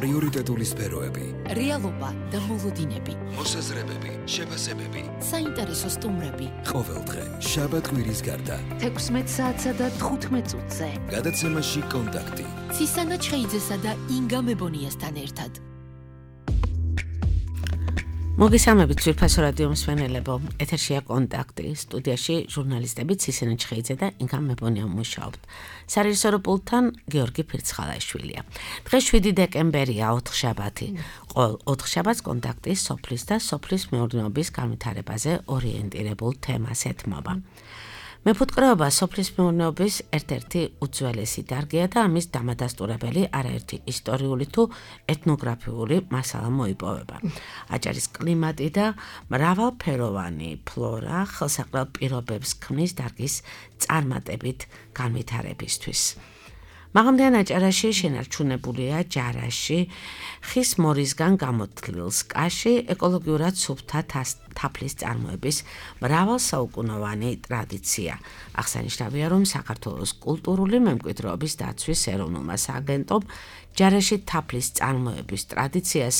პრიორიტეტული სფეროები, რეალობა და მოლოდინები, მოსაზრებები, შეფასებები, საინტერესო სტუმრები. ყოველდღე, შაბათ-კვირის გარდა, 16 საათსა და 15 წუთზე. გადაცემაში კონტაქტი. ცისანა ჩხეიძესა და ინგა მებონიასთან ერთად. მოგესალმებით ძვირფასო რადიო მსმენელებო, ეთერშია კონტაქტი, სტუდიაში ჟურნალისტები ცისანა ჩხეიძე და ინგა მებონია მუშაობთ. სარეჟისორო პულტთან გიორგი ფირცხალაშვილია. დღეს 7 დეკემბერია, 4 შაბათი. ყოველ 4 შაბათს კონტაქტი სოფლის და სოფლის მეურნეობის განვითარებაზე ორიენტირებულ თემას ეთმობა. მეფუტკრეობა სოფლის მეურნეობის ერთ-ერთი უძველესი დარგია და ამის დამადასტურებელი არაერთი ისტორიული თუ ეთნოგრაფიული მასალა მოიპოვება. აჭარის კლიმატი და მრავალფეროვანი ფლორა ხელსაყრელ პირობებს ქმნის დარგის წარმატებით განვითარებისთვის. მაღალმთიან აჭარაში შენარჩუნებულია ჯარაში, ხის მორისგან გამოთლილ სკაში, ეკოლოგიურად სუფთა თაფლის წარმოების მრავალსაუკუნოვანი ტრადიცია. აღსანიშნავია, რომ საქართველოს კულტურული მემკვიდრეობის დაცვის ეროვნულმა სააგენტომ ჯარაში თაფლის წარმოების ტრადიციას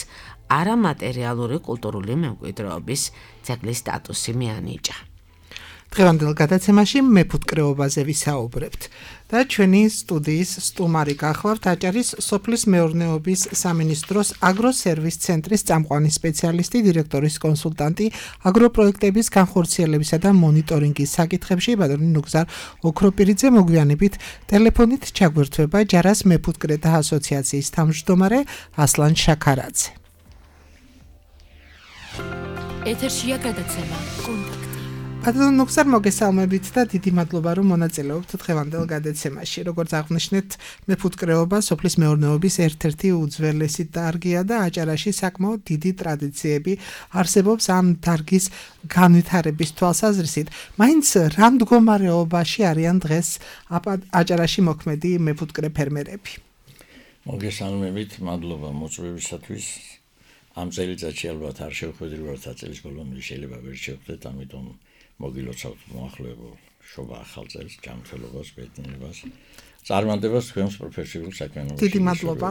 არამატერიალური კულტურული მემკვიდრეობის ძეგლის სტატუსი მიანიჭა. დღევანდელ გადაცემაში მეფუტკრეობაზე ვისაუბრებთ და ჩვენი სტუდიის სტუმარი გახლავთ აჭარის სოფლის მეურნეობის სამინისტროს აგროსერვის ცენტრის წამყვანი სპეციალისტი, დირექტორის კონსულტანტი, აგროპროექტების განხორციელებისა და მონიტორინგის საკითხებში ბატონი ნუგზარ ოქროპირიძე. მოგვიანებით ტელეფონით ჩაგვერთვება ჯარას მეფუტკრეთა ასოციაციის თავმჯდომარე ასლან შაქარაძე. ეთერშია გადაცემა კონტაქტი. ბატონ ნუგზარ, მოგესალმებით და დიდი მადლობა, რომ მონაწილეობთ დღევანდელ გადაცემაში. როგორც აღნიშნეთ, მეფუტკრეობა სოფლის მეურნეობის ერთ-ერთი უძველესი დარგია და აჭარაში საკმაოდ დიდი ტრადიციები არსებობს ამ დარგის განვითარების თვალსაზრისით. მაინც რა მდგომარეობაში არიან დღეს აჭარაში მოქმედი მეფუტკრე ფერმერები? მოგესალმებით, მადლობა მოწვევისათვის. ამ წელიწადში ალბათ არ შევხვედრივართ აწელის ბოლომდე, შეიძლება ვერ შევხვდეთ, ამიტომ მოგილოცავთ მოახლოებულ შობა ახალ წელს, ჯანმრთელობას, ბედნიერებას, წარმატებას თქვენს პროფესიულ საქმიანობაში. დიდი მადლობა.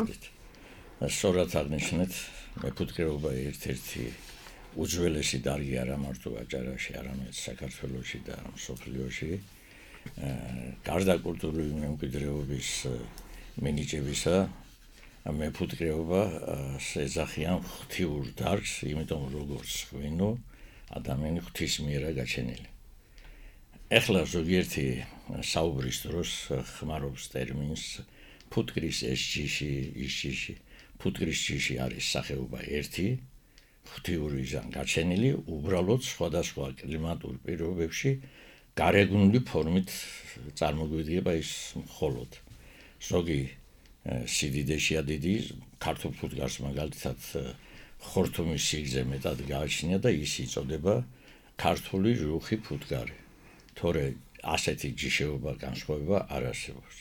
სწორად აღნიშნეთ, მეფუტკრეობა ერთ-ერთი უძველესი დარგი არა მარტო აჭარაში, არამედ საქართველოში და მსოფლიოში. გარდა კულტურული მემკვიდრეობის მინიჭებისა, მეფუტკრეობა ეძახიან ღვთიურ დარგს, იმიტომ როგორც ღვინო ადამიანი ღვთის მიერა გაჩენილი. ეხლა ზოგიერთი საუბრის დროს ხმარობს ტერმინს ფუტკრის ეს ჯიში, ის ჯიში. ფუტკრის ჯიში არის სახეობა ერთი, ღვთიურიდან გაჩენილი, უბრალოდ სხვადასხვა კლიმატურ პირობებში გარეგნული ფორმით წარმოგვიდგება ის მხოლოდ. ზოგი სიდიდეშია დიდი, ქართულ ფუტკარს მაგალითად ხორთუმის სიგრძე მეტად გააჩნია და ის იწოდება ქართული რუხი ფუტკარი. თორე ასეთი ჯიშეობა განსხვავება არ არსებობს.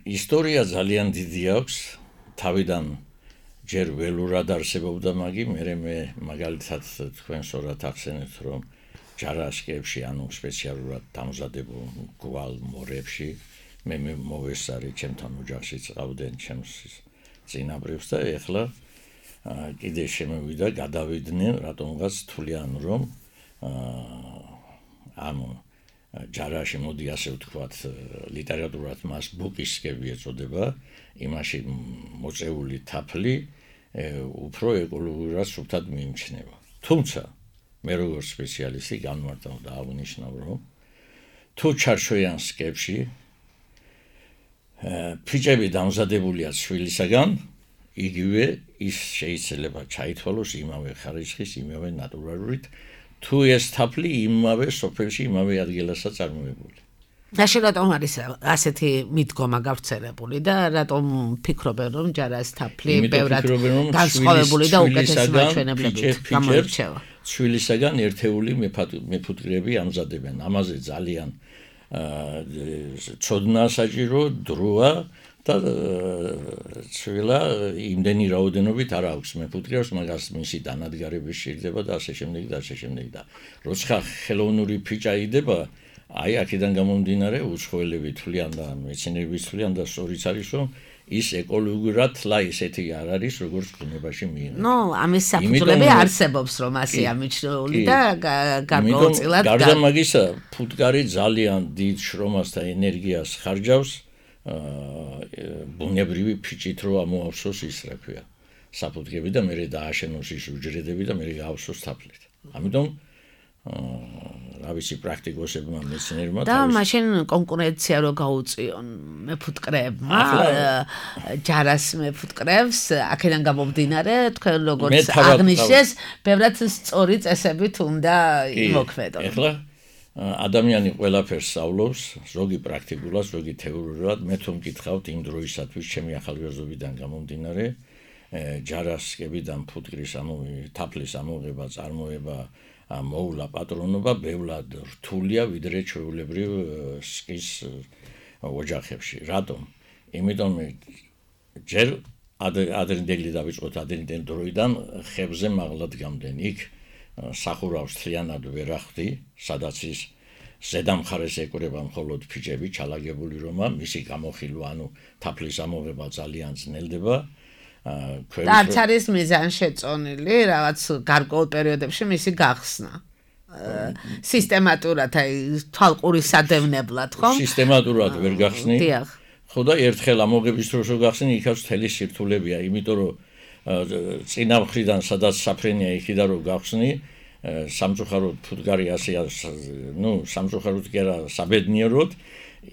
ისტორია ძალიან დიდი აქვს, თავიდან ჯერ ველურად არსებობდა მაგი, მე მაგალითად თქვენ სწორად ახსენეთ, რომ ჯარაშკებში, ანუ სპეციალურად დამზადებულ გვალ მორებში მე მოვესწარი, ჩემთან ოჯახში წავდნენ ჩემს წინაპრებს და ეხლა კიდე შემოვიდა, გადავიდნენ, რატომღაც თვლიან, რომ ანუ ჯარაში მოდი ასე ვთქვათ, ლიტერატურად მას ბუკისკები ეწოდება, იმაში მოწეული თაფლი უფრო ეკოლოგიურად სუფთად მიიჩნევა. თუმცა მე როგორც სპეციალისტი განმარტავ და აღნიშნავ, რომ თუ ჩარჩოიან სკებში ფიჭები დამზადებულია ცვილისაგან, იგივე ის შეიძლება ჩაითვალოს იმავე ხარისხის, იმავე ნატურალურით, თუ ეს თაფლი იმავე სოფელში, იმავე ადგილასა წარმოებული. ნაში რატომ არის ასეთი მიდგომა გავრცელებული და რატომ ფიქრობენ, რომ ჯარას თაფლი ბევრად განსხვავებული და უკეთესი მაჩვენებლებით გამოირჩევა? ცვილისაგან ერთეული მეფუტკრეები ამზადებენ. ამაზე ძალიან ცოდნა საჭირო, დროა და ცვილა იმდენი რაოდენობით არ აქვს მეფუტკრეებს, მაგას მისი დანადგარების სჭირდება და ასე შემდეგ და ასე შემდეგ და როცა ხელოვნური ფიჭა იდება, აი აქედან გამომდინარე უცხოელები თვლიან და მეცნიერები თვლიან და სწორიც არის, რომ ის ეკოლოგიურად თლა ისეთი არ არის, როგორც ბუნებაში მიიღება. ნუ, ამის საფუძვლები არსებობს, რომ ასე ამიჩნეული და გარკვეულწილად გარდა მაგისა, ფუტკარი ძალიან დიდ შრომას და ენერგიას ხარჯავს ბუნებრივი ფიჭით რო ამოავსოს ის, რა ქვია, საფუტკები და მერე დააშენოს ის უჯრედები და მერე გაავსოს თაფლით. ამიტომ რა ვიცი პრაქტიკოსებმა მეცნიერებმა და მაშინ კონკურენცია რო გაუწიონ მეფუტკრეებმა ჯარას მეფუტკრებს აქედან გამომდინარე თქვენ როგორც აღნიშნეს ბევრად სწორი წესებით უნდა იმოქმედონ. ეხლა ადამიანი ყველაფერს სწავლობს, ზოგი პრაქტიკულად, ზოგი თეორიულად. მე თუ მკითხავთ იმ დროისათვის ჩემი ახალგაზრდობიდან გამომდინარე ჯარასკებიდან ფუტკრის თაფლის ამოღება, წარმოება მოვლა პატრონობა ბევრად რთულია ვიდრე ჩვეულებრივ სკის ოჯახებში. რატომ? იმიტომ ჯერ ადრინდელი დავიწყოთ ადრინდელი დროიდან ხებზე მაღლად გამდნენ. იქ სახურავს თლიანად ვერ ახდი, სადაც ის ზედა მხარეს ეკვრება მხოლოდ ფიჭები, ჩალაგებული რომა, მისი გამოხილვა, თაფლის ამოღება ძალიან ძნელდება. და არც არის მიზანშეწონილი რაღაც გარკვეულ პერიოდებში მისი გახსნა. სისტემატურად, აი თვალყური სადევნებლად, ხო? სისტემატურად ვერ გახსნი. დიახ. ხო და ერთხელ ამოღების დროს რო გახსნი, იქაც მთელი სირთულებია, იმიტომ რომ წინა მხრიდან სადაც საფრენია იქიდან რო გახსნი, სამწუხაროდ ფუტკარი ასე, სამწუხაროდ კი არა, საბედნიეროდ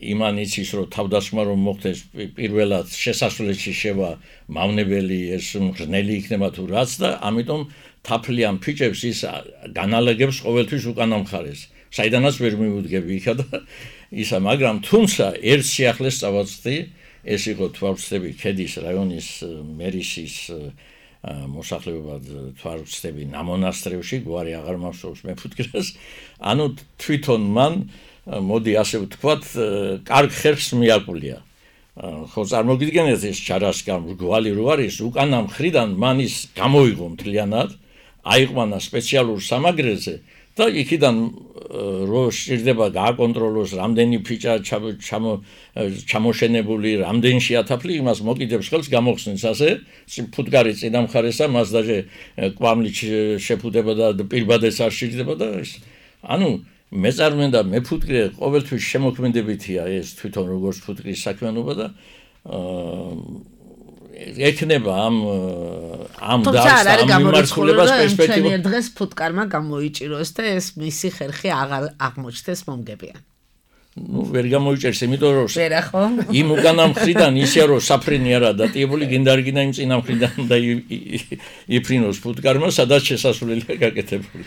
იმან იცის რომ თავდასხმა რომ მოხდეს პირველად შესასვლელში შევა მავნებელი ეს მღრნელი იქნება თუ რაც და ამიტომ თაფლიან ფიჭებს ის განალაგებს ყოველთვის უკანა მხარეს საიდანაც ვერ მივუდგები იქა და ისა მაგრამ თუმცა ერთ სიახლეს წავაწყდი ეს იყო თვალწდები ქედის რაიონის მერისის მოსახლეობად თვალწდები ნამონასტრევში გვარი აღარ მახსოვს მეფუტკრას ანუ თვითონ მან მოდი ასე ვთქვათ, კარგ ხერხს მიაკვლია. ხო წარმოგიდგენთ ეს ჯარასკა მრგვალი რო არის, უკანა მხრიდან მან ის გამოიღო მთლიანად, აიყვანა სპეციალურ სამაგრეზე და იქიდან რო სჭირდება გააკონტროლოს რამდენი ფიჭა ჩამოშენებული, რამდენშია თაფლი, იმას მოკიდებს ხელს გამოხსნეს ასე, ფუტკარი წინა მხარესა, მას დაჟე კვამლით შეფუდება და პირბადეს არ სჭირდება და ის. ანუ მეწარმე და მეფუტკრე ყოველთვის შემოქმედებითია ეს თვითონ როგორც ფუტკრის საქმიანობა და ექნება ამ მიმართულებას პერსპექტივა. ჩვენ დღეს ფუტკარმა გამოიჭიროს და ეს მისი ხერხი აღარ აღმოჩნდეს მომგებიან. ვერ გამოიჭერს, იმიტომ რომ ვერა ხო? იმ უკანა მხრიდან ისე რომ საფრენი არა დატიებული, გინდა არ გინდა იმ წინა მხრიდან და იფრინოს ფუტკარმა, სადაც შესასვლელია გაკეთებული.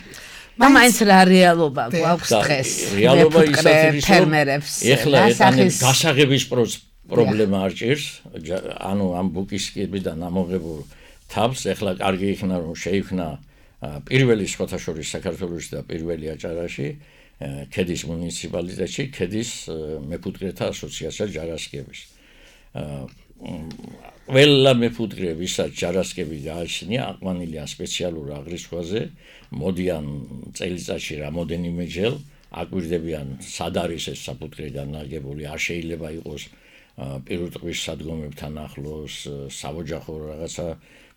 მაინც რა რეალობა გვაქვს დღეს რეალობა ის არის ფერმერებს ეხლა გასაღების პრობლემა არ ჭირს ანუ ამ ბუკისკებიდან ამოღებულ თავს ეხლა კარგი იქნა რომ შეიქმნა პირველი სხვათა შორის საქართველოში და პირველი აჭარაში ქედის მუნიციპალიტეტში ქედის მეფუტკრეთა ასოციაცია ჯარასკების ყველა მეფუტკრე ვისაც ჯარასკები გააჩნია აყვანილია სპეციალურ აღრიცხვაზე მოდიან წელიწადში რამოდენიმეჯერ აკვირდებიან სად არის ეს საფუტკრე განლაგებული არ შეიძლება იყოს პირუტყვის სადგომებთან ახლოს საოჯახო რაღაცა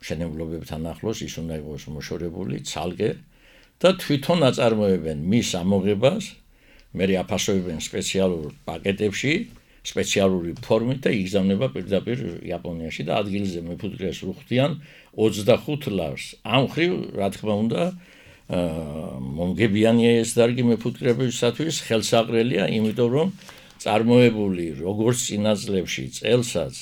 მშენებლობებთან ახლოს ის უნდა იყოს მოშორებული ცალკე და თვითონ აწარმოებენ მის ამოღებას მერე აფასებენ სპეციალურ პაკეტებში სპეციალური ფორმით და იგზავნება პირდაპირ იაპონიაში და ადგილზე მეფუტკრეს უხდიან 25 ლარს ამ ხრივ რა თქმა უნდა მომგებიანია ეს დარგი მეფუტკრებისათვის ხელსაყრელია იმიტომ რომ წარმოებული როგორც წინა წლებში წელსაც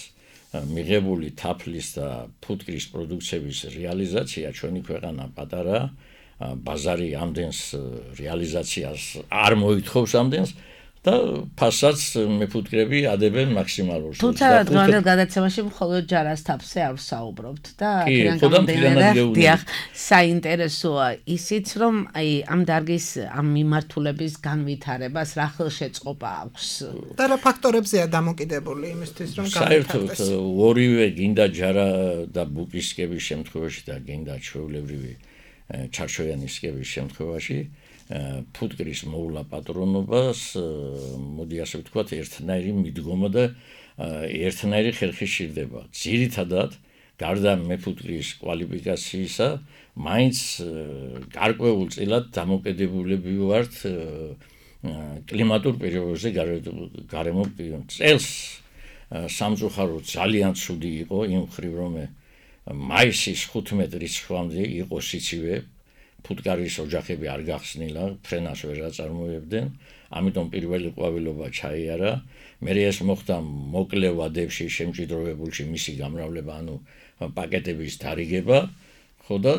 მიღებული თაფლის და ფუტკრის პროდუქციების რეალიზაცია ჩვენი ქვეყანა პატარა ბაზარი ამდენს რეალიზაციას არ მოითხოვს ამდენს და ფასაც მეფუტკრები ადებენ მაქსიმალურ სულს. თუმცა დღევანდელ გადაცემაში მხოლოდ ჯარას თაფზე არ ვსაუბრობთ და დიახ, საინტერესოა ისიც რომ აი ამ დარგის ამ მიმართულების განვითარებას რა ხელშეწყობა აქვს და რა ფაქტორებზეა დამოკიდებული იმისთვის რომ განვითარდეს. საერთოდ ორივე გინდა ჯარა და ბუკისკების შემთხვევაში და გინდა ჩვეულებრივი ჩარჩოიანისკების შემთხვევაში ფუტკრის მოვლა პატრონობას მოდი ასე ვთქვათ ერთნაირი მიდგომა და ერთნაირი ხერხი სჭირდება. ძირითადად გარდა მეფუტკრის კვალიფიკაციისა, მაინც გარკვეულწილად დამოკიდებულები ვართ კლიმატურ პირობებზე გარემო წელს სამწუხაროდ ძალიან ცუდი იყო იმ მხრივ რომ მაისის 15 რიცხვამდე იყო სიცივე ფუტკარის ოჯახები არ გახსნილა ფრენას ვერ აწარმოებდნენ ამიტომ პირველი ყვავილობა ჩაიარა მე ეს მოხდა მოკლე ვადებში შემჭიდროებულში მისი გამრავლება ანუ პაკეტების დარიგება ხო და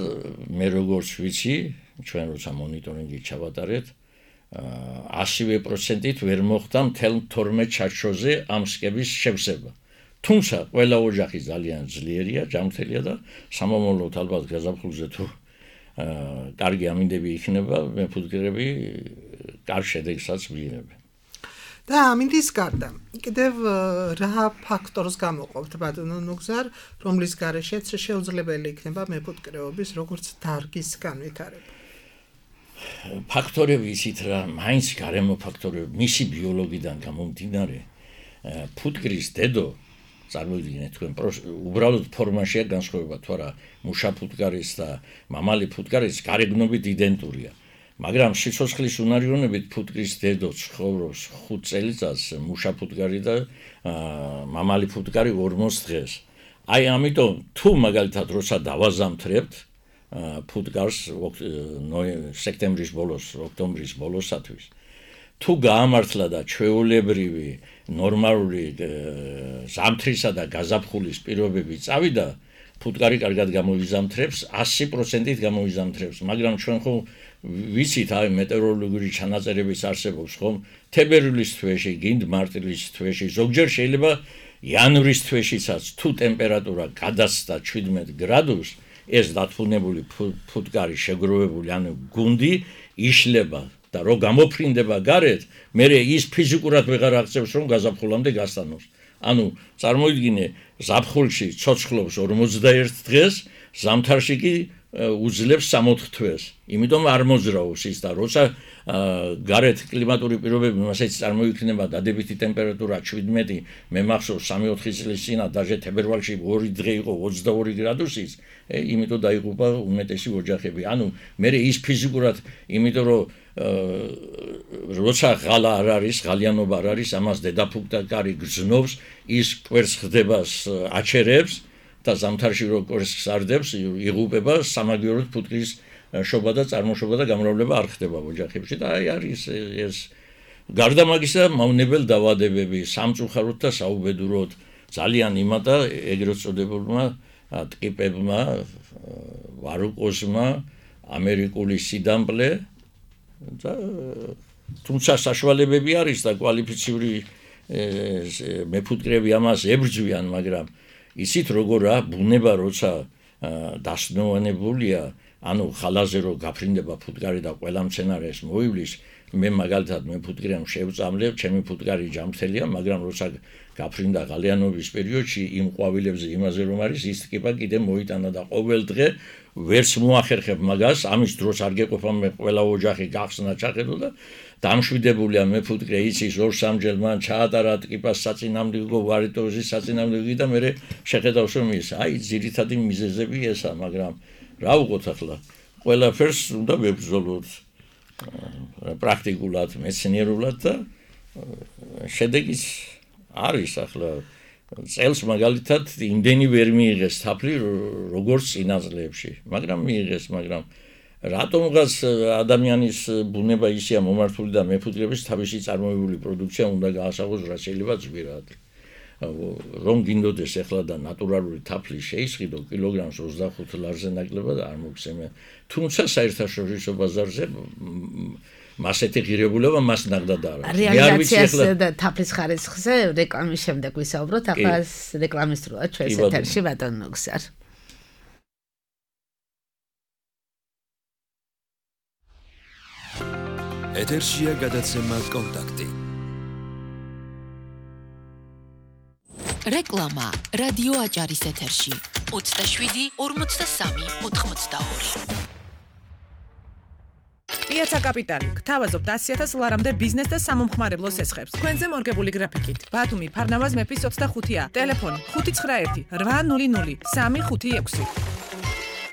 მე როგორც ვიცი ჩვენ როცა მონიტორინგი ჩავატარეთ 100%-ით ვერ მოხდა მთელ 12 ჩარჩოზე ამ სკების შევსება. თუმცა ყველა ოჯახი ძალიან ძლიერია, ჯანმრთელია და სამომავლოდ ალბათ გაზაფხულზე თუ კარგი ამინდები იქნება, მეფუტკრები კარგ შედეგსაც მიიღებენ. და ამინდის გარდა კიდევ რა ფაქტორს გამოყოფთ ბატონო ნუგზარ, რომლის გარეშეც შეუძლებელი იქნება მეფუტკრეობის როგორც დარგის განვითარება? ფაქტორები იცით რა, მაინც გარემო ფაქტორები, მისი ბიოლოგიდან გამომდინარე, ფუტკრის დედო, წარმოიდგინეთ თქვენ, უბრალოდ ფორმაშია განსხვავება, თუ არა, მუშა ფუტკარის და მამალი ფუტკარის გარეგნობით იდენტურია. მაგრამ სიცოცხლის უნარიანობით ფუტკრის დედო ცხოვრობს 5 წელიწადს, მუშა ფუტკარი და მამალი ფუტკარი 40 დღეს. აი ამიტომ თუ მაგალითად როცა დავაზამთრებთ ფუტკარს სექტემბრის ბოლოს, ოქტომბრის ბოლოსათვის. თუ გაამართლა და ჩვეულებრივი ნორმალური ზამთრისა და გაზაფხულის პირობები წავიდა, ფუტკარი კარგად გამოიზამთრებს, 100%-ით გამოიზამთრებს, მაგრამ ჩვენ ხო ვიცით, აი მეტეოროლოგიური ჩანაწერებიც არსებობს, ხომ? თებერვლის თვეში, გინდ მარტილის თვეში, ზოგჯერ შეიძლება იანვრის თვეშიცაც თუ ტემპერატურა გადასცდა 17 გრადუსს ეს დათბუნებული ფუტკარი შეგროვებული ანუ გუნდი იშლება და რო გამოფრინდება გარეთ, მერე ის ფიზიკურად ვეღარ აღწევს რომ გაზაფხულამდე გასტანოს. ანუ წარმოიდგინე, ზაფხულში ცოცხლობს 41 დღეს, ზამთარში კი უძლებს 60 თვეს. იმიტომ არ მოძრაობს ის და როცა გარეთ კლიმატური პირობები მასეც წარმოიქმნება დადებითი ტემპერატურა 17, მე მახსოვს 3-4 წლის წინა დაჟე თებერვალში 2 დღე იყო 22 გრადუსის, იმიტომ დაიღუპა უმეტესი ოჯახები. ანუ მე ის ფიზიკურად, იმიტომ რომ როცა ღალა არ არის, ღალიანობა არ არის, ამას დედაფუტკარი გრძნობს, ის კვერცხს ხდებას აჩერებს და ზამთარში რო კვერცხს არდებს, იღუპება სამაგიეროდ ფუტკრის შობა და წარმოშობა და გამრავლება არ ხდება ოჯახებში და აი არის ეს გარდა მაგისა მავნებელ დაავადებები სამწუხაროდ და საუბედუროდ ძალიან იმატა ეგრეთ წოდებულმა ტკიპებმა ვარიკოზმა ამერიკული სიდამპლე და თუმცა საშუალებები არის და კვალიფიციური მეფუტკრები ამას ებრძვიან მაგრამ ისიც როგორა ბუნება როცა დასნოვანებულია ანუ ხალაზე რო გაფრინდება ფუტკარი და ყველა მცენარეს მოივლის მე მაგალითად მეფუტკრემ შევწამლებ ჩემი ფუტკარი ჯანმრთელია მაგრამ როცა გაფრინდა ღალიანობის პერიოდში იმ ყვავილებზე იმაზე რომ არის ის ტკიპა კიდე მოიტანა და ყოველ დღე ვერც მოახერხებ მაგას ამის დროს არ გეყოფა მე ყველა ოჯახი გახსნა ჩახედო და დამშვიდებულია მეფუტკრე იცის 2-3 ჯერ მან ჩაატარა ტკიპას საწინააღმდეგო ვარიტოზის საწინააღმდეგო და მე შეხედავს რომ ის აი ძირითადი მიზეზები ესა მაგრამ რა ვუყოთ ახლა ყველაფერს უნდა ვებრძოლოთ პრაქტიკულად მეცნიერულად და შედეგიც არის ახლა წელს მაგალითად იმდენი ვერ მიიღეს თაფლი როგორც წინა წლებში მაგრამ მიიღეს მაგრამ რატომღაც ადამიანის ბუნება ისეა მომართული და მეფუტკრების თავისი წარმოებული პროდუქცია უნდა გაასაღოს რაც შეიძლება ძვირად რომ გინდოდეს ახლა და ნატურალური თაფლი შეისყიდო კილოგრამს 25 ლარზე ნაკლებად არ მოგცემენ თუმცა საერთაშორისო ბაზარზე მასეთი ღირებულება მას ნახდად არ არის რეალიზაციას და თაფლის ხარისხზე რეკლამის შემდეგ ვისაუბროთ ახლა რეკლამის დროა ჩვენს ეთერში ბატონ ნუგზარ ეთერშია გადაცემა კონტაქტი რეკლამა რადიო აჭარის ეთერში 27 43 82 პიაცა კაპიტალი გთავაზობთ 100,000 ლარამდე ბიზნეს და სამომხმარებლო სესხებს. თქვენზე მორგებული გრაფიკით. ბათუმი, ფარნავაზ მეფის 25-ა. ტელეფონი 591 800 356.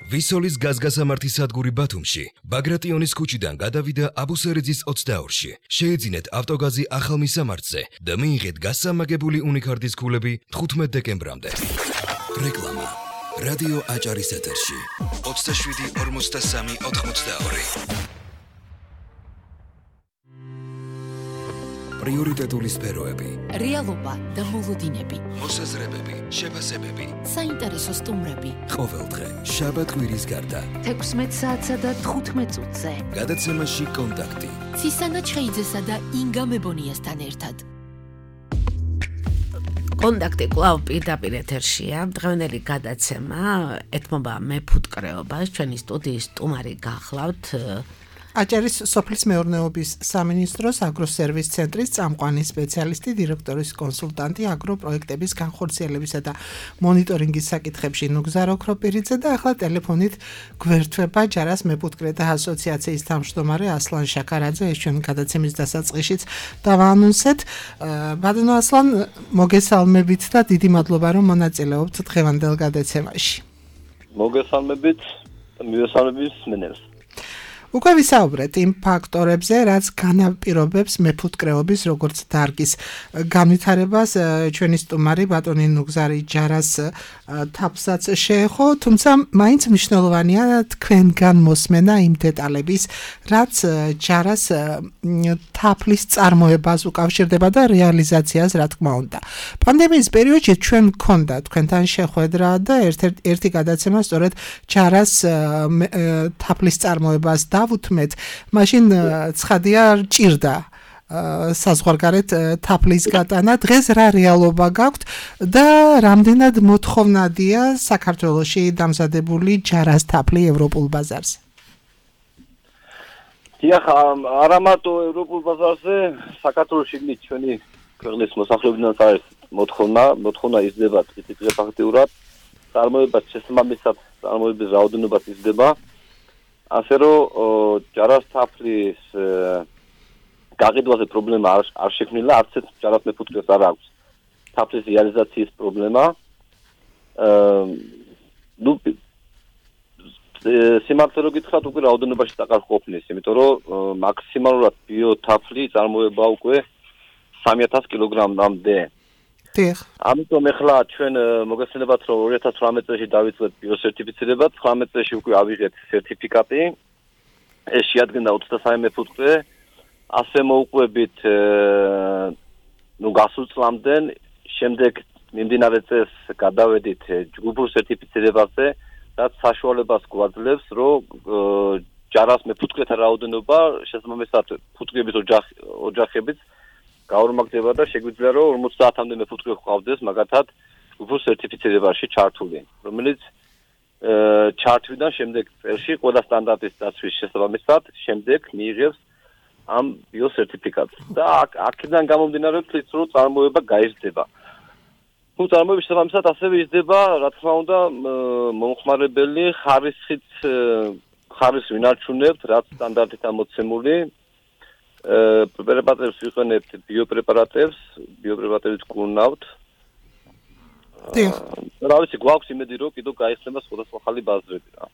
ვისოლის გაზგასამართი სადგური ბათუმში, ბაგრატიონის ქუჩიდან გადავიდა აბუსერიძის 22-ში. შეეძინეთ ავტოგაზი ახალ მისამართზე და მიიღეთ გასამაგებული უნიკარდის ქულები 15 დეკემბრამდე. რეკლამა. რადიო აჭარის ეთერში. 27 53 82. პრიორიტეტული სფეროები. რეალობა და მოლოდინები. მოსაზრებები, შეფასებები. საინტერესო სტუმრები. ყოველდღე, შაბათ-კვირის გარდა. 16 საათსა და 15 წუთზე. გადაცემაში კონტაქტი. ცისანა ჩხეიძესა და ინგა მებონიასთან ერთად. კონტაქტი კვლავ პირდაპირ ეთერშია. დღევანდელი გადაცემა ეთმობა მეფუტკრეობას. ჩვენი სტუდიის სტუმარი გახლავთ აჭარის სოფლის მეურნეობის სამინისტროს აგროსერვის ცენტრის წამყვანი სპეციალისტი, დირექტორის კონსულტანტი აგროპროექტების განხორციელებისა და მონიტორინგის საკითხებში ნუგზარ ოქროპირიძე და ახლა ტელეფონით გვერდება ჯარას მეფუტკრეთა ასოციაციის თავმჯდომარე ასლან შაქარაძე. ეს ჩვენი გადაცემის დასაწყისშიც დავაანონსეთ. ბატონო ასლან, მოგესალმებით და დიდი მადლობა რომ მონაწილეობთ დღევანდელ გადაცემაში. მოგესალმებით, მივესალმებით მსმენელს. უკვე ვისაუბრეთ იმ ფაქტორებზე, რაც განაპირობებს მეფუტკრეობის როგორც დარგის განვითარებას. ჩვენი სტუმარი ბატონი ნუგზარი ჯარას თაფსაც შეეხო, თუმცა მაინც მნიშვნელოვანია თქვენგან მოსმენა იმ დეტალების, რაც ჯარას თაფლის წარმოებას უკავშირდება და რეალიზაციას, რა თქმა უნდა. პანდემიის პერიოდში ჩვენ გქონდა თქვენთან შეხვედრა და ერთი გადაცემა სწორედ ჯარას თაფლის წარმოებას დავუთმეთ, მაშინ ცხადია ჭირდა საზღვარგარეთ თაფლის გატანა. დღეს რა რეალობა გაქვთ და რამდენად მოთხოვნადია საქართველოში დამზადებული ჯარას თაფლი ევროპულ ბაზარზე? დიახ, არა მარტო ევროპულ ბაზარზე, საქართველოში ჩვენი ქვეყნის მოსახლეობიდან არის მოთხოვნა იზრდება ტყით ფაქტიურად, წარმოება შესაბამისად წარმოების რაოდენობა იზრდება. ასე რომ ჯარას თაფლის გაყიდვაზე პრობლემა არ შექმნილა, არც ერთ ჯარას მეფუტკრეს არ აქვს თაფლის რეალიზაციის პრობლემა. სიმართლე რო გითხრათ, უკვე რაოდენობაში დაკარგ ყოფნის, იმიტომ რომ მაქსიმალურად ბიოთაფლი წარმოება უკვე 3000 კილოგრამამდე. ამიტომ ახლა ჩვენ მოგესალმებათ, რომ 2018 წელს დავიწყეთ ბიოსერტიფიცირება, 19 წელს უკვე ავიღეთ სერტიფიკატი. ეს შეადგენდა 23 მეფუტკრე. ასე მოუყვებით გასულ წლამდე, შემდეგ მიმდინარე წელს გადავედით ჯგუფურ სერტიფიცირებაზე, რაც საშუალებას გვაძლევს, რომ ჯარას მეფუტკრეთა რაოდენობა შესაბამისად ფუტკრების ოჯახებით გაორმაგდება და შეგვიძლია რომ 50-მდე მეფუტკრე გვყავდეს მაგათად ჯგუფურ სერტიფიცირებაში ჩართული, რომელიც ჩართვიდან შემდეგ წელში ყველა სტანდარტის დაცვის შესაბამისად შემდეგ მიიღებს ამ ბიოსერტიფიკატს და აქედან გამომდინარე ვთქვით, რომ წარმოება გაიზრდება. თუ წარმოების შესაბამისად ასევე იზრდება, რა თქმა უნდა, მომხმარებელი ხარისხს ვინარჩუნებთ, რაც სტანდარტით ამოცემული. პრეპარატებს ვიყენებთ ბიოპრეპარატებით გუნავთ. რა ვიცი, გვაქვს იმედი, რომ კიდევ გაიხსნება სხვადასხვა ხალი ბაზრები რა.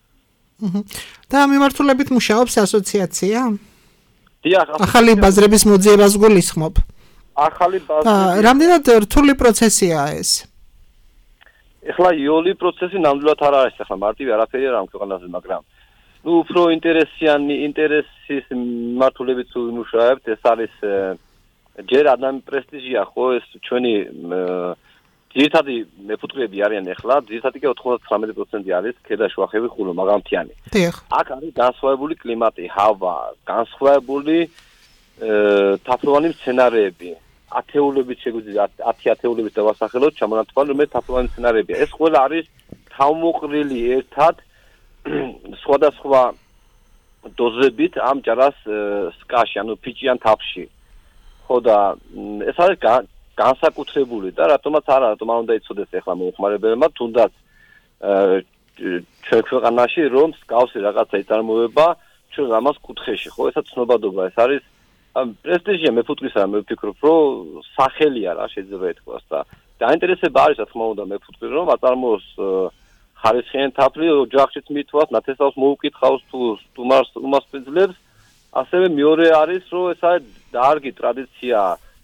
და მიმართულებით მუშაობს ასოციაცია? დიახ, ახალი ბაზრების მოძიებას გულისხმობ. ახალი ბაზრები. რამდენად რთული პროცესია ეს? ეხლა იოლი პროცესი ნამდვილად არ არის, ეხლა მარტივი არაფერი არ ამ ქვეყანაზე, მაგრამ უფრო ინტერესის მიმართულებით ვიმუშავებთ, ეს არის ჯერ ადამიანი პრესტიჟია, ხო, ეს ჩვენი ძირითადი მეფუტკრეები არიან ეხლა, ძირითადი კი 99% არის ქედაშუახევი ხულო, მაგამთიანი. აქ არის განსხვავებული კლიმატი, ჰავა, განსხვავებული თაფლოვანი მცენარეები. 10 ათეულებით დავასახელოთ, ჩამონათვალე, რომელიც თაფლოვანი მცენარეებია. ეს ყველა არის თავმოყრილი ერთად სხვადასხვა დოზებით ამ ჯარას სკაში, ანუ ფიჭიან თაფლში. ხო და ეს არის განსაკუთრებული და რატომაც არა, რატომ არ უნდა იცოდეს ახლა მომხმარებელმა, თუნდაც ჩვენ ქვეყანაში რომ მსგავსი რაღაცა იწარმოება ჩვენ ამას კუთხეში, ხო, ესაც ცნობადობა, ეს არის პრესტიჟია მეფუტკრისა, მე ვფიქრობ, რომ სახელია რა შეიძლება ეთქვას და დაინტერესება არის, რა თქმა უნდა, მეფუტკრი რომ აწარმოოს ხარისხიანი თაფლი, ოჯახშიც მithვას, ნათესავს მოუკითხავს თუ სტუმარს უმასპინძლებს, ასევე მეორე არის, რომ ეს არის დარგი ტრადიცია,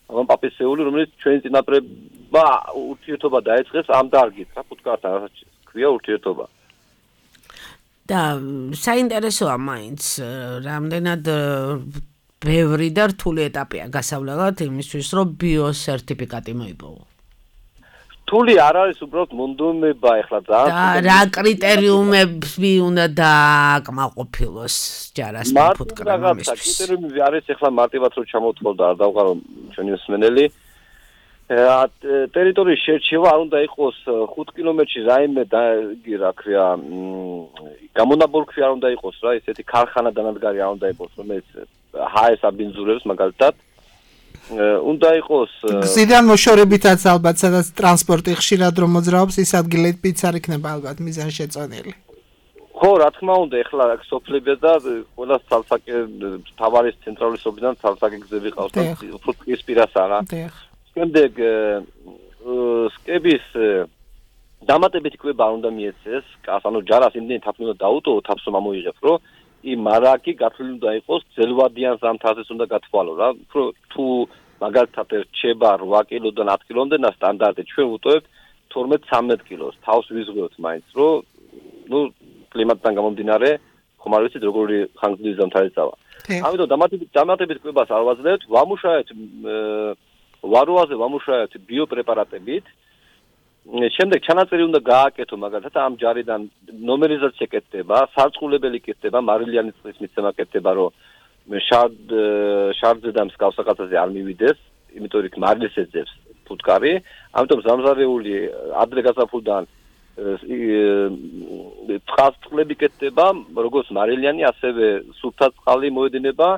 პაპისეული, რომელიც ჩვენი წინაპრებმა ურთიერთობა დაეწყეს ამ დარგით, რა ფუტკართან, რასაც ქვია ურთიერთობა. და საინტერესოა მაინც, რამდენად ბევრი და რთული ეტაპია გასავლელად იმისთვის, რომ ბიოსერტიფიკატი მოიპოვო. რთული არ არის, უბრალოდ მონდომება ეხლა ძალიან. და რა კრიტერიუმები უნდა დააკმაყოფილოს ჯარასთან ფუტკრებმა მისთვის? კრიტერიუმები არის ეხლა მარტივად რომ ჩამოთვალ და არ დავყარო ჩვენი მსმენელი. ტერიტორიის შერჩევა არ უნდა იყოს 5 კილომეტრში რაიმე რა ქვია გამონაბოლქვი არ უნდა იყოს რა ესეთი ქარხანა დანადგარი არ უნდა იყოს რომელიც ჰაეს აბინძურებს მაგალითად უნდა იყოს გზიდან მოშორებითაც ალბათ სადაც ტრანსპორტი ხშირად რომ მოძრაობს ის ადგილებიც არ იქნება ალბათ მიზანშეწონილი. ხო, რა თქმა უნდა, ეხლა სოფლებია და ყველა ცალსაკე თავარის ცენტრალური სოფლიდან ცალსაკე გზები ყავს და უფრო ტყის პირასაა რა. შემდეგ სკების დამატებითი კვება არ უნდა მიეცეს, ანუ ჯარას იმდენი თაფლი უნდა დაუტოვო, თაფს რომ ამოიღებს, რომ იმ მარაკი გათვლილი უნდა იყოს ძელვადიან ზამთარს უნდა გათვალო რა. თუ მაგალითად რჩება 8 კილოდან 10 კილომდე და სტანდარტი ჩვენ ვუტოვებთ 12-13 კილოს. თავს ვიზღვევთ მაინც, რომ ნუ კლიმატთან გამომდინარე, ხომ არ ვიცით როგორი ხანგრძლივი ზამთარი წავა. ამიტომ დამატებით კვებას არ ვაძლევთ, ვამუშავებთ ვაროაზე ვამუშავებთ ბიოპრეპარატებით. შემდეგ ჩანაწერი უნდა გააკეთო მაგალითად ამ ჯარიდან ნომერიზაცია კეთდება, სარწყულებელი კეთდება, მარილიანი წყლის მიცემა კეთდება, რომ შარდზე და მსგავს საკაცაზე არ მივიდეს, იმიტომ რომ მარილს ეძებს ფუტკარი, ამიტომ ზამზარეული ადრე გაზაფხულიდან წყლები კეთდება, როგორც მარილიანი, ასევე სუფთა წყალი მოედინება.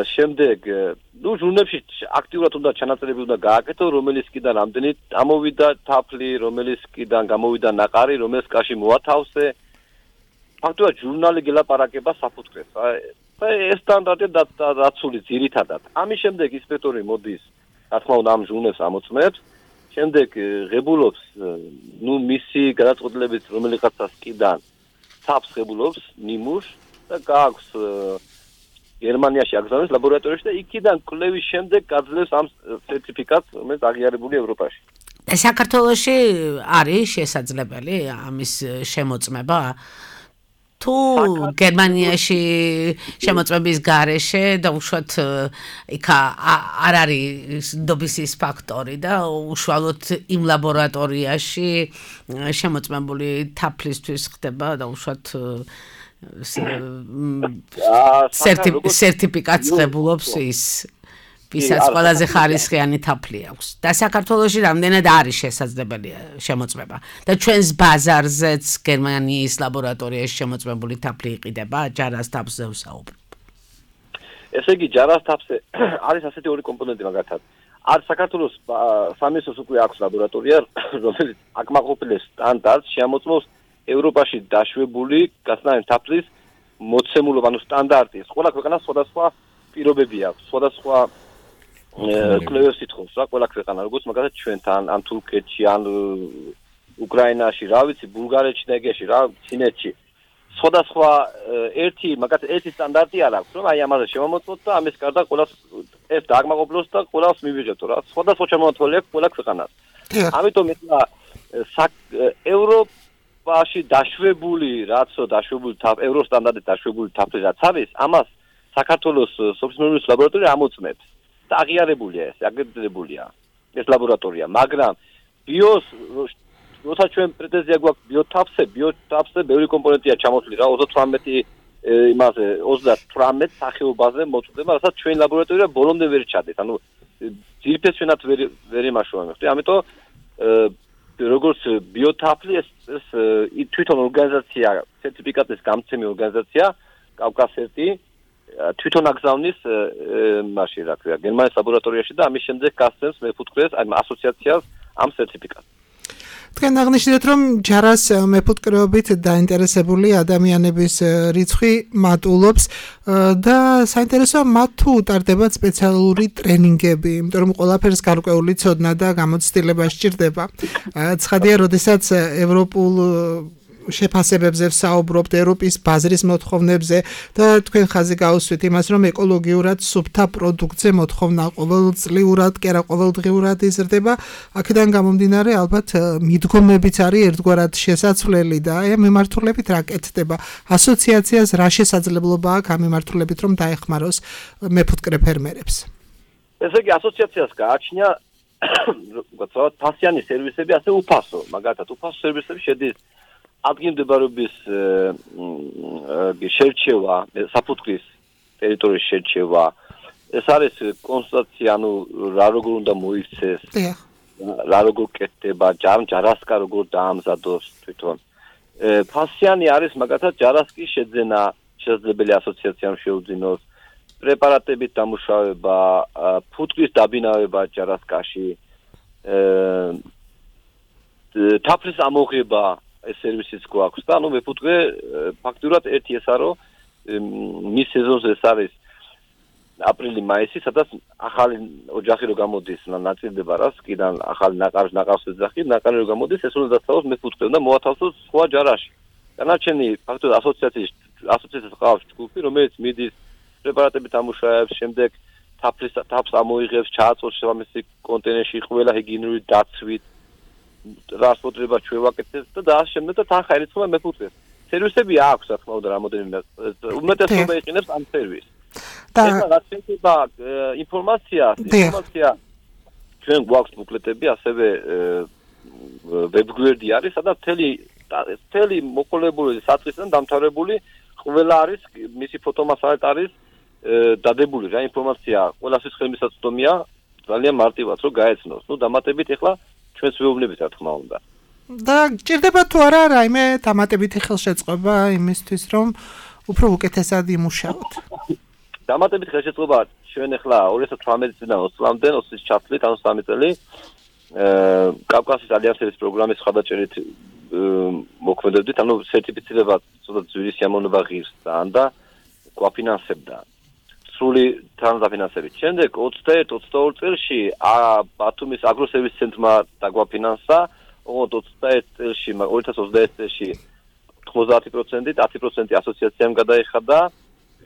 შემდეგ ჟურნებში აქტიურად უნდა ჩანაწერები უნდა გააკეთო, რომელიც კიდან ამდენი ამოვიდა თაფლი, რომელიც კიდან გამოვიდა ნაყარი, რომელიც კაში მოათავსე. ფაქტობრივად ჟურნალი გელაპარაკება საფუტკრეს. ეს სტანდარტია დაცული ძირითადად. ამის შემდეგ ინსპექტორი მოდის, რა თქმა უნდა, ამ ჟურნალს ამოწმებს. შემდეგ ღებულობს, მისი გადაწყვეტილებით რომელიღაცას კიდან თაფს ღებულობს ნიმუშს და გააქვს გერმანიაში აგზავნეს ლაბორატორიაში და იქიდან კვლევის შემდეგ გაძლევს ამ სერტიფიკატს, რომელიც აღიარებულია ევროპაში. და საქართველოში არის შესაძლებელი ამის შემოწმება? თუ გერმანიაში შემოწმების გარეშე და უშუალოდ იქ არ არის ნდობის ფაქტორი და უშუალოდ იმ ლაბორატორიაში შემოწმებული თაფლისთვის ხდება და უშუალოდ სერტიფიკატს ღებულობს ის ვისაც ყველაზე ხარისხიანი თაფლი აქვს და საქართველოში რამდენად არის შესაძლებელი შემოწმება და ჩვენს ბაზარზეც გერმანიის ლაბორატორიაში შემოწმებული თაფლი იყიდება ჯარას თაფლზე ვსაუბრობ. ესე იგი ჯარას თაფლზე არის ასეთი ორი კომპონენტი მაგათად. არის საქართველოს სამინისტროს უკვე აქვს ლაბორატორია, რომელიც აკმაყოფილებს სტანდარტს, შემოწმობს ევროპაში დაშვებული გასნაირი თაფლის მოცემულობა, ანუ სტანდარტის. ყველა ქვეყანას სხვადასხვა პირობები აქვს, სხვადასხვა კვლევებს ითხოვს რა, ყველა ქვეყანა, როგორც მაგალითად ჩვენთან, ან თურქეთში, ან უკრაინაში, რა ვიცი, ბულგარეთში და ეგეში რა, ჩინეთში. სხვადასხვა ერთი სტანდარტი არ აქვს, რომ აი ამაზე შევამოწმოთ და ამის გარდა ყველას ეს დააკმაყოფილოს და ყველას მივიღებთ რა. სხვადასხვა შემოთვლელი აქვს ყველა ქვეყანას. ამიტომ ეხლა ევროპაში დაშვებული, ევროსტანდარტით დაშვებული თაფლი რაც არის, ამას საქართველოს სოფლის ლაბორატორია ამოწმებს. და აღიარებულია ეს, აგრედიტებულია ეს ლაბორატორია, მაგრამ ბიოს როცა ჩვენ პრეტენზია გვაქვს ბიოთაფლზე ბევრი კომპონენტია ჩამოთვლილი რა, 38 იმაზე 38 სახეობაზე მოწვდება, რასაც ჩვენ ლაბორატორია ბოლომდე ვერ ჩადეს. ანუ ძირფეს ჩვენად ვერ იმაშოვებთ. ამიტომ როგორც ბიოთაფლი ეს თვითონ ორგანიზაცია, სერტიფიკატის გამცემი ორგანიზაცია, კავკასერტი თვითონ აგზავნის მასში რა ქვია, გერმანიის ლაბორატორიაში და ამის შემდეგ გასცემს მეფუტკრეს, აი ასოციაციას ამ სერტიფიკატს. თქვენ აღნიშნეთ, რომ ჯარას მეფუტკრეობით დაინტერესებული ადამიანების რიცხვი მატულობს და საინტერესოა მათ თუ უტარდება სპეციალური ტრენინგები, იმიტომ რომ ყველაფერს გარკვეული ცოდნა და გამოცდილება სჭირდება. ცხადია, როდესაც ევროპულ შეფასებებზე ვსაუბრობთ, ევროპის ბაზრის მოთხოვნებზე და თქვენ ხაზი გაუსვით იმას, რომ ეკოლოგიურად სუფთა პროდუქტზე მოთხოვნა ყოველწლიურად, კი არა ყოველდღიურად იზრდება. აქედან გამომდინარე, ალბათ მიდგომებიც არის ერთგვარად შესაძლებელი და აი მიმართულებით რა კეთდება? ასოციაციას რა შესაძლებლობა აქვს ამ მიმართულებით, რომ დაეხმაროს მეფუტკრე ფერმერებს? ესე იგი, ასოციაციას გააჩნია ვთქვათ, ფასიანი სერვისები, ასე უფასო, მაგალითად, უფასო სერვისები შედის ადგილმდებარეობის შერჩევა, საფუძვლის ტერიტორიის შერჩევა, ეს არის კონსტატაცია, ანუ რა როგორ უნდა მოიქცეს, რა როგორ კეთდება, ჯარასკა როგორ დაამზადოს თვითონ. ფასიანი არის მაგალითად ჯარასკის შეძენა, შესაძლებელი ასოციაციამ შეუძინოს, პრეპარატებით დამუშავება, ფუტკრის დაბინავება ჯარასკაში, თაფლის ამოღება ეს სერვისიც გვაქვს და ანუ მეფუტკრე ფაქტურად ერთი ესაა რომ მის სეზონზე ეს არის აპრილი-მაისი, სადაც ახალი ოჯახი რო გამოდის, ნაწილდება რა სკიდან ახალი ნაყავს ეძახი, ნაყარი რო გამოდის, ეს უნდა დაცავოს მეფუტკრემ და მოათავსოს სხვა ჯარაში. დანარჩენი ფაქტურად ასოციაციას ყავს ჯგუფი, რომელიც მიდის პრეპარატებით ამუშავებს, შემდეგ თაფს ამოიღებს, ჩააწვევს შესაბამისი კონტეინერში ყველა ჰიგიენური დაცვით, ტრანსპორტირება ჩვევაკეთებს და შემდეგ და თან ხაერიცხოვა მეფუტკრეს. სერვისები აქვს, რა თქმა უნდა, რამოდენიმე უმეტესობა იყენებს ამ სერვისს. ეხლა რაც შეეხება ინფორმაცია ჩვენ გვაქვს ბუკლეტები, ასევე ვებგვერდი არის, სადაც მთელი მოყოლებული საწყისიდან დამთავრებული ყველა არის, მისი ფოტომასალით არის დადებული რა ინფორმაცია, ყველასთვის ხელმისაწვდომია, ძალიან მარტივად რომ გაეცნოს. ნუ დამატებით ეხლა ჩვენს ვეუბნებით რა თქმა უნდა. და გჭირდება თუ არა რაიმე დამატებითი ხელშეწყობა იმისთვის, რომ უფრო უკეთესად იმუშაოთ? დამატებით ხელშეწყობა ჩვენ ეხლა 2018 წლიდან 20 წლამდე 20 ჩათვლით, ანუ 3 წელი კავკასიის ალიანსების პროგრამის ხადაჭერით მოქმედებდით, ანუ სერტიფიცირება ცოტა ძვირი სიამოვნება ღირს და გვაფინანსებდა. სრული თანადაფინანსებით. შემდეგ 21-22 წელში ბათუმის აგროსერვის ცენტრმა დაგვაფინანსა, 21 წელში 2021 წელში 90%, 10% ასოციაციამ გადაიხადა.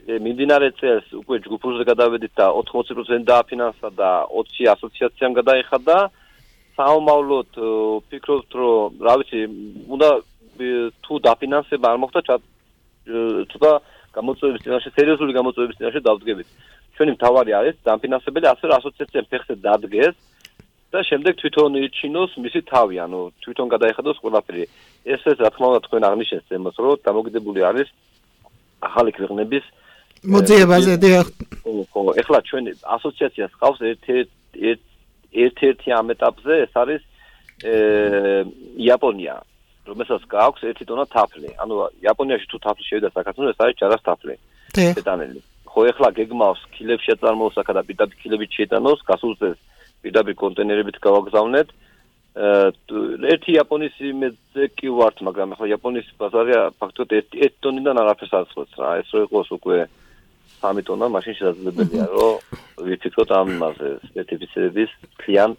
მიმდინარე წელს უკვე ჯგუფურზე გადავედით და 80% დააფინანსა და 20 ასოციაციამ გადაიხადა. საომავლოდ ვფიქრობთ, რომ რა ვიცი, უნდა თუ დაფინანსება არ მოხდა ცოტა გამოწვევების წინაშე, სერიოზული გამოწვევების წინაშე დავდგებით. ჩვენი მთავარი არის დამფინანსებელი, ასე რომ ასოციაციამ ფეხზე დადგეს და შემდეგ თვითონ ირჩინოს მისი თავი, ანუ თვითონ გადაეხადოს ყველაფერი. ეს რა თქმა უნდა თქვენ აღნიშნეთ თემას, რომ დამოკიდებული არის ახალი ქვეყნების მოძიებაზე. ხო, ეხლა ჩვენ ასოციაციას ყავს ერთ-ერთი ამ ეტაპზე, ეს არის იაპონია. რომელსაც გააქვს 1 ტონა თაფლი. ანუ იაპონიაში თუ თაფლი შევიდა საქართველოს, ეს არის ჯარას თაფლი. შეტანილი. ხო, ეხლა გეგმავს კილებში აწარმოოს აქა და პირდაპირ კილებით შეიტანოს, გასულ წელს პირდაპირ კონტეინერებით გავაგზავნეთ. ერთი იაპონიის იმედზე კი ვართ, მაგრამ ეხლა იაპონიის ბაზარია ფაქტობრივად 1 ტონიდან არაფერს არ ცხობს რა. ეს რო იყოს უკვე 3 ტონა, მაშინ შესაძლებელია, რომ ვიფიქროთ ამ იმაზე, სპეციფიკების მთლიან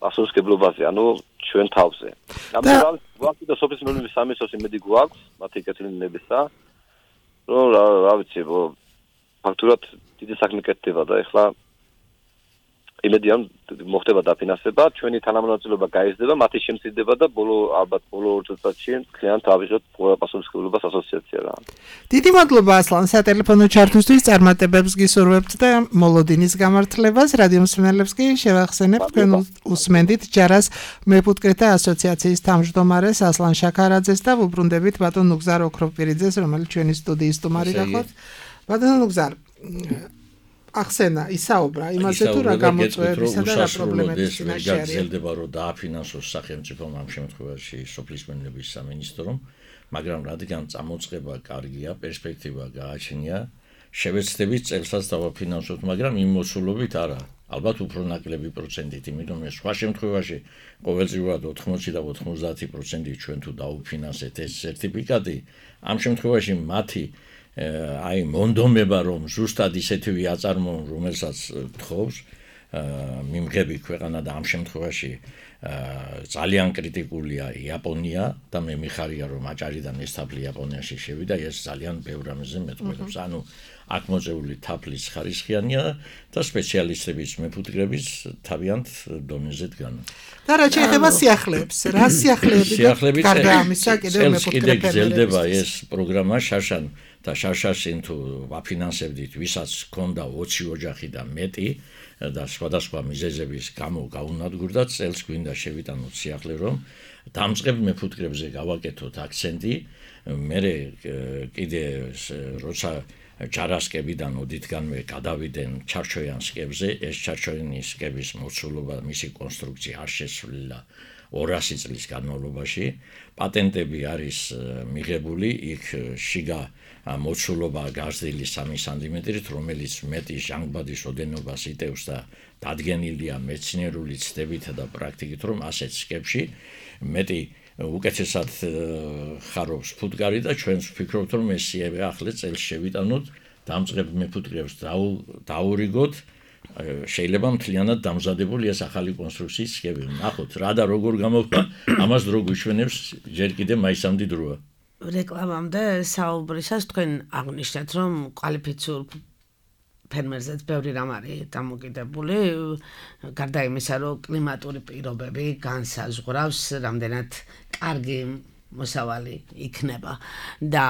ასოციაციებაზე, ანუ ჩვენ თავზე. ამიტომ გვაქვს და სოფლის მეურნეობის სამინისტროს იმედი გვაქვს, მათი კეთილინებისა, რომ რა ვიცი, ფაქტურად დიდი საქმე კეთდება და ეხლა იმედია მოხდება დაფინანსება, ჩვენი თანამონაწილეობა გაიზრდება, მათი შემცირდება და ალბათ ბოლო 2 წელიწადში მთლიანად ავიღოთ პასუხისმგებლობას ასოციაცია რა. დიდი მადლობა ასლან სატელეფონო ჩართვისთვის, წარმატებებს გისურვებთ და მოლოდინის გამართლებას. რადიო მსმენელებს კი შევახსენებთ, თქვენ უსმენდით ჯარას მეფუტკრეთა ასოციაციის თავმჯდომარეს ასლან შაქარაძეს და ვუბრუნდებით ბატონ ნუგზარ ოქროპირიძეს, რომელიც ჩვენი სტუდიის სტუმარი გახოთ. ბატონ ნუგზარ, ახსენა, ისაუბრა იმაზე თუ რა გამოწვევებისა და რა პრობლემების წინაშე არის. გაგრძელდება რომ დააფინანსოს სახელმწიფომ ამ შემთხვევაში სოფლის მეურნეობის სამინისტრომ, მაგრამ რადგან წამოწყება კარგია, პერსპექტივა გააჩნია, შევეცდებით წელსაც დავაფინანსოთ, მაგრამ იმ მოსულობით არა. ალბათ უფრო ნაკლები პროცენტით, იმიტომ რომ სხვა შემთხვევაში ყოველწლიურად 80 და 90% ჩვენ თუ დაუფინანსეთ ეს სერტიფიკატი, ამ შემთხვევაში მათი აი მონდომება რომ ზუსტად ისეთივე აწარმოონ, რომელსაც თხოვს მიმღები ქვეყანა და ამ შემთხვევაში ძალიან კრიტიკულია იაპონია და მე მიხარია რომ აჭარიდან ეს თაფლი იაპონიაში შევიდა, ეს ძალიან ბევრ რამეზე მეტყველებს. ანუ აქ მოწეული თაფლის ხარისხიანია და სპეციალისტების მეფუტკრების თავიანთ დონეზე დგანა. და რა შეიძლება სიახლეებს? რა სიახლეები გარდა ამისა კიდევ მეფუტკრები გრძელდება ეს პროგრამა შაშან და შაშაშინ თუ ვაფინანსებდით, ვისაც ჰქონდა 20 ოჯახი და მეტი და სხვადასხვა მიზეზების გამო გაუნადგურდა, წელს გვინდა შევიტანოთ სიახლე, რომ დამწყებ მეფუტკრებზე გავაკეთოთ აქცენტი. მე კიდე როცა ჯარასკებიდან ოდითგანვე გადავიდნენ ჩარჩოიანსკებზე, ეს ჩარჩოიანსკების მოცულობა, მისი კონსტრუქცია არ შესრულა 200 წლის განმავლობაში. პატენტები არის მიღებული, იქ შიგა მოცულობა გაზრდილი 3 სანტიმეტრით, რომელიც მეტი ჟანგბადის ოდენობას იტევს და დადგენილია მეცნიერული ცდებით და პრაქტიკით, რომ ასეთ სკებში მეტი უკეთესად ხარობს ფუტკარი და ჩვენს ვფიქრობთ, რომ ეს ახლა წელს შევიტანოთ, დამწყებ მეფუტკრებს დაურიგოთ, შეიძლება მთლიანად დამზადებული ეს ახალი კონსტრუქციის სქემი. ნახოთ, რა და როგორ გამოვა, ამას დრო გვიშვენებს, ჯერ კიდე მაისამდე დროა. რეკლამამდე საუბრისას თქვენ აღნიშნეთ, რომ კვალიფიციურ ფერმერზეც ბევრი რამ არის დამოკიდებული, გარდა იმისა, რომ კლიმატური პირობები განსაზღვრავს, რამდენად კარგი მოსავალი იქნება და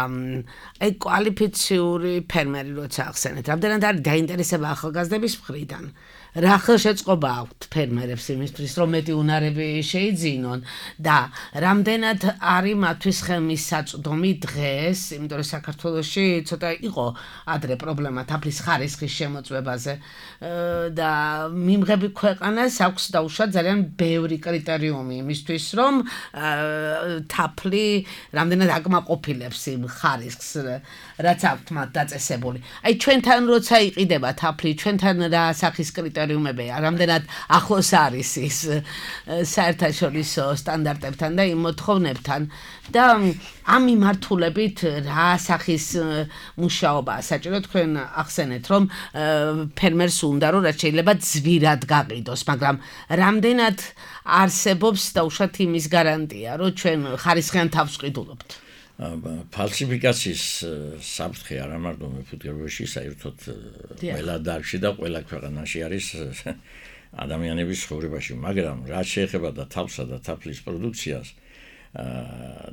აი კვალიფიციური ფერმერი როცა ახსენეთ, რამდენად არის დაინტერესება ახალგაზრდების მხრიდან. რა ხელშეწყობა აქვთ ფერმერებს იმისთვის, რომ მეტი უნარები შეიძინონ და რამდენად არის მათთვის ხელმისაწვდომი დღეს, იმიტომ რომ საქართველოში ცოტა იყო ადრე პრობლემა თაფლის ხარისხის შემოწმებაზე და მიმღები ქვეყანას აქვს დაუშვა ძალიან ბევრი კრიტერიუმი იმისთვის, რომ თაფლი რამდენად აკმაყოფილებს იმ ხარისხს, რაც აქვთ მათ დაწესებული. აი ჩვენთან როცა იყიდება თაფლი, ჩვენთან რა სახის კრიტერიუმებია, რამდენად ახლოს არის ის საერთაშორისო სტანდარტებთან და იმ მოთხოვნებთან და ამ მიმართულებით რა სახის მუშაობაა საჭირო. თქვენ ახსენეთ, რომ ფერმერს უნდა რომ რაც შეიძლება ძვირად გაყიდოს, მაგრამ რამდენად არსებობს დაუშვათ იმის გარანტია, რომ ჩვენ ხარისხიან თავს ვყიდულობთ. ფალსიფიკაციის საფრთხე არა მარტო მეფუტკრებაში, საერთოდ ყველა დარგში და ყველა ქვეყანაში არის ადამიანების ცხოვრებაში, მაგრამ რაც შეეხება და თავსა და თაფლის პროდუქციას,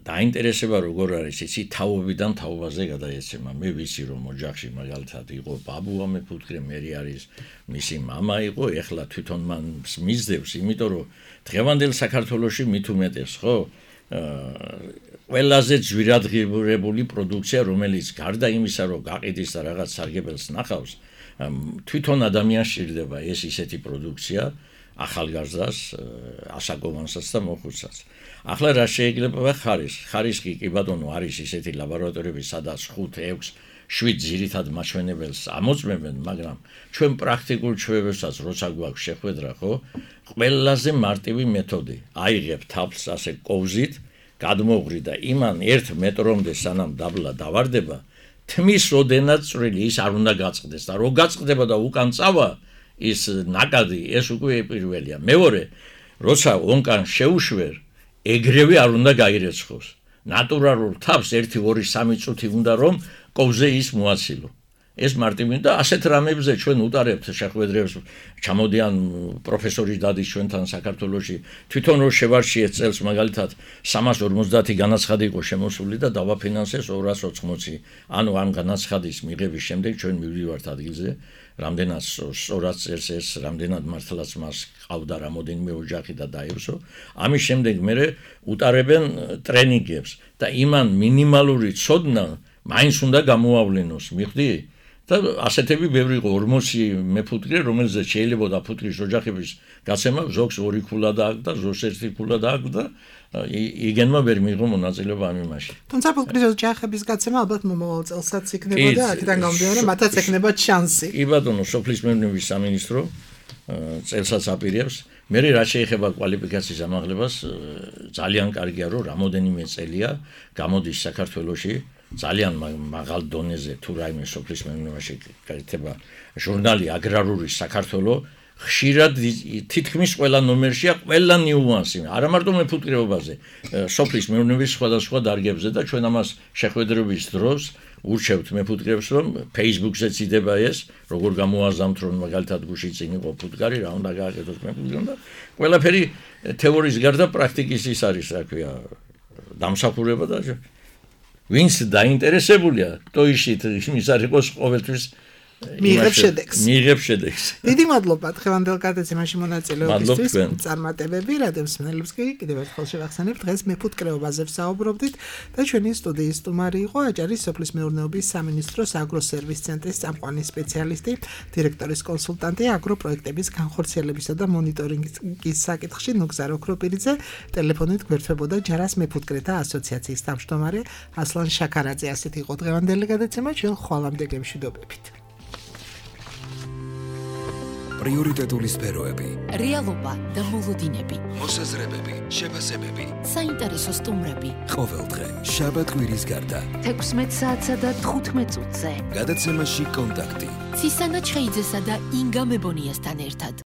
დაინტერესება როგორ არის, იცი თაობიდან თაობაზე გადაეცემა. მე ვიცი რომ ოჯახში მაგალითად იყო ბაბუა მეფუტკრე, მე არის მისი мама იყო, ეხლა თვითონ მან მისდევს, იმიტომ რომ დღევანდელ საქართველოში მით უმეტეს, ხო? ყველაზე ძვირადღირებული პროდუქცია, რომელიც გარდა იმისა, რომ გაყიდის და რაღაც სარგებელს ნახავს, თვითონ ადამიანს სჭირდება ეს ისეთი პროდუქცია, ახალგაზრდას, ასაკოვანსაც და მოხუცსაც. ახლა რა შეიძლება ხარისხი კი ბატონო არის ისეთი ლაბორატორიები, სადაც 5, 6, 7 ძირითად მაჩვენებელს ამოწმებენ, მაგრამ ჩვენ პრაქტიკულ ჩვევებსაც როცა გვაქვს შეხვედრა, ხო? ყველაზე მარტივი მეთოდი. აიღებ თაფლს ასე კოვზით, გადმოღრი და იმან 1 მეტრომდე სანამ დაბლა დავარდება, თმის ოდენად წვრილი ის არ უნდა გაწყდეს და რო გაწყდება და უკან წავა ის ნაკადი, ეს უკვე პირველია. მეორე, როცა ონკან შეუშვერ, ეგრევე არ უნდა გაირეცხოს. ნატურალურ თავს 1, 2, 3 წუთი უნდა რომ კოვზე ის მოაცილო. ეს მარტივი და ასეთ რამებზე ჩვენ უტარებთ შეხვედრებს, ჩამოდიან პროფესორი დადის ჩვენთან საქართველოში, თვითონ რო შევარჩიეთ წელს მაგალითად 350 განაცხადი იყო შემოსული და დავაფინანსეს 280. ანუ ამ განაცხადის მიღების შემდეგ ჩვენ მივდივართ ადგილზე, რამდენად სწორად წერს ეს, რამდენად მართლაც მას ყავდა რამოდენიმე ოჯახი და დაევრსო. ამის შემდეგ მე უტარებენ ტრენინგებს და იმან მინიმალური ცოდნა მაინც უნდა გამოავლენოს, მიხდი? და ასეთები ბევრი იყო 40 მეფუტკრე, რომელზეც შეიძლება და ფუტკრის ოჯახების გაცემა ზოგს 2 ქულა დააქვს და ზოგს 1 ქულა დააქვს და იგენმა ვერ მიიღო მონაწილეობა ამ იმაში. თუმცა ფუტკრის ოჯახების გაცემა ალბათ მომავალ წელსაც იქნება და აქედან გამომდინარე მათაც ექნება შანსი. კი ბატონო, სოფლის მეურნეობის სამინისტრო წელსაც აპირებს. მე რა შეეხება კვალიფიკაციის ამაღლებას, ძალიან კარგია, რომ რამოდენიმე წელია გამოდის საქართველოში ძალიან მაღალ დონეზე თუ რაიმე სოფლის მეურნეობაში გაიტება ჟურნალი აგრარული საქართველო ხშირად თითქმის ყველა ნომერშია ყველა ნიუანსი, არა მარტო მეფუტკრეობაზე, სოფლის მეურნეობის სხვადასხვა დარგებზე და ჩვენ ამას შეხვედრების დროს ურჩევთ მეფუტკრეებს, რომ Facebook-ზეც იდება ეს, როგორ გამოაზამთ, რომ მაგალითად გუში წინ იყო ფუტკარი, რა უნდა გააკეთოს მეფუტკრემ და ყველაფერი თეორიის გარდა პრაქტიკის ის არის, რა ქვია, დამსახურება და ვინც დაინტერესებულია, ტოიშით იმის არ იყოს ყოველთვის მიიღებს შედეგს. დიდი მადლობა დღევანდელ გადაცემაში მონაწილეობისთვის. წარმატებები რადიოსმენელებს კი კიდევ ერთხელ შევახსენებ, დღეს მეფუტკრეობაზე ვსაუბრობდით და ჩვენი სტუდიის სტუმარი იყო აჭარის სოფლის მეურნეობის სამინისტროს აგროსერვის ცენტრის წამყვანი სპეციალისტი, დირექტორის კონსულტანტი აგროპროექტების განხორციელებისა და მონიტორინგის საკითხში ნუგზარ ოქროპირიძე, ტელეფონით გვერდებოდა ჯარას მეფუტკრეთა ასოციაციის თავმჯდომარე ასლან შაქარაძე. ასეთი იყო დღევანდელი გადაცემა, ჩვენ ხვალამდე გემშვიდობებით. პრიორიტეტული სფეროები, რეალობა და მოლოდინები, მოსაზრებები, შეფასებები, საინტერესო სტუმრები. ყოველდღე შაბათ კვირის გარდა 16 საათსა და 15 წუთზე. გადაცემაში კონტაქტი. ცისანა ჩხეიძესა და ინგა მებონიასთან ერთად.